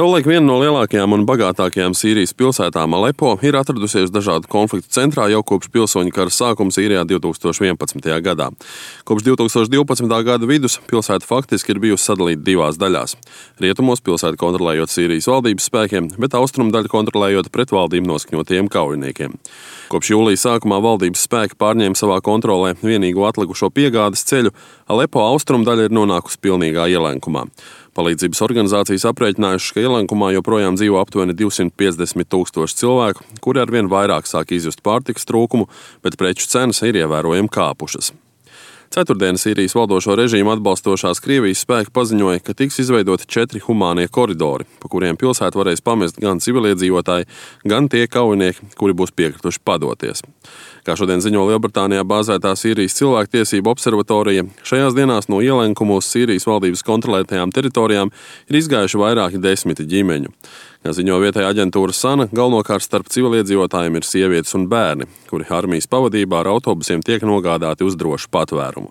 Savulaik viena no lielākajām un bagātākajām Sīrijas pilsētām Alepo ir atradusies dažādu konfliktu centrā jau kopš pilsoņu kara sākuma Sīrijā 2011. gadā. Kopš 2012. gada vidus pilsēta faktiski ir bijusi sadalīta divās daļās. Rietumos pilsētu kontrolējot Sīrijas valdības spēkiem, bet austrumu daļu kontrolējot pret valdību noskaņotiem kaujiniekiem. Kopš jūlija sākumā valdības spēki pārņēma savā kontrolē vienīgo atlikušo piegādes ceļu, Alepo austrumu daļa ir nonākusi pilnīgā ielenkumā. Palīdzības organizācijas aprēķinājušas, ka ielenkumā joprojām dzīvo aptuveni 250,000 cilvēku, kuri arvien vairāk sāk izjust pārtikas trūkumu, bet preču cenas ir ievērojami kāpušas. Ceturtdien Sīrijas valdošo režīmu atbalstošās Krievijas spēki paziņoja, ka tiks izveidoti 4 humānie koridori, pa kuriem pilsētu varēs pamest gan civiliedzīvotāji, gan tie kaujinieki, kuri būs piekrituši padoties. Kā šodien ziņo Lielbritānijā bāzētā Sīrijas cilvēktiesību observatorija, šajās dienās no ielenkumu uz Sīrijas valdības kontrolētajām teritorijām ir izgājuši vairāki desmiti ģimeņu. Kā ziņo vietējā aģentūra Sana, galvenokārt starp civiliedzīvotājiem ir sievietes un bērni, kuri armijas pavadībā ar autobusiem tiek nogādāti uz drošu patvērumu.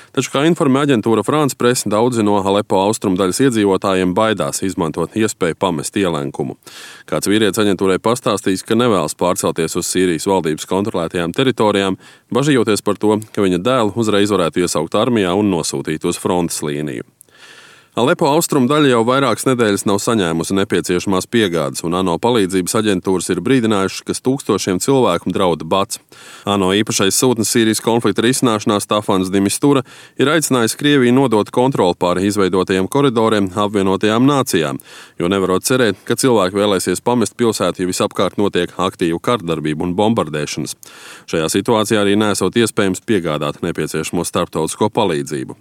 Taču, kā informē aģentūra France Presse, daudzi no Alepo austrumu daļas iedzīvotājiem baidās izmantot iespēju pamest ielenkumu. Kāds vīrietis aģentūrai pastāstīs, ka nevēlas pārcelties uz Sīrijas valdības kontrolētajām teritorijām, bažījoties par to, ka viņa dēlu uzreiz varētu iesaukt armijā un nosūtīt uz frontes līniju. Alepo austrumu daļa jau vairākas nedēļas nav saņēmusi nepieciešamās piegādes, un ANO palīdzības aģentūras ir brīdinājušas, ka tūkstošiem cilvēku drauda bats. ANO īpašais sūtnis Sīrijas konflikta risināšanā Stafans de Mistura ir aicinājis Krieviju nodot kontroli pār izveidotajiem koridoriem apvienotajām nācijām, jo nevarot cerēt, ka cilvēki vēlēsies pamest pilsētu, ja visapkārt notiek aktīva kardarbība un bombardēšanas. Šajā situācijā arī nesot iespējams piegādāt nepieciešamo starptautisko palīdzību.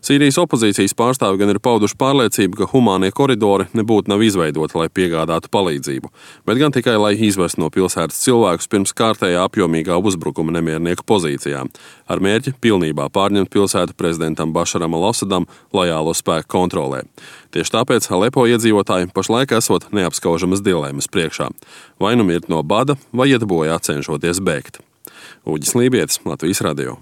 Sīrijas opozīcijas pārstāvi gan ir pauduši pārliecību, ka humānie koridori nebūtu nav izveidoti, lai piegādātu palīdzību, bet gan tikai, lai izvestu no pilsētas cilvēkus pirms kārtējā apjomīgā uzbrukuma nemiernieku pozīcijām, ar mērķi pilnībā pārņemt pilsētu prezidentam Bašaram al-Asadam lojālo spēku kontrolē. Tieši tāpēc Alepo iedzīvotāji pašlaik esot neapskaužamas dilemmas priekšā. Vai nu mirt no bada, vai iet bojā cenšoties bēgt. Uģis Lībietis, Latvijas radio.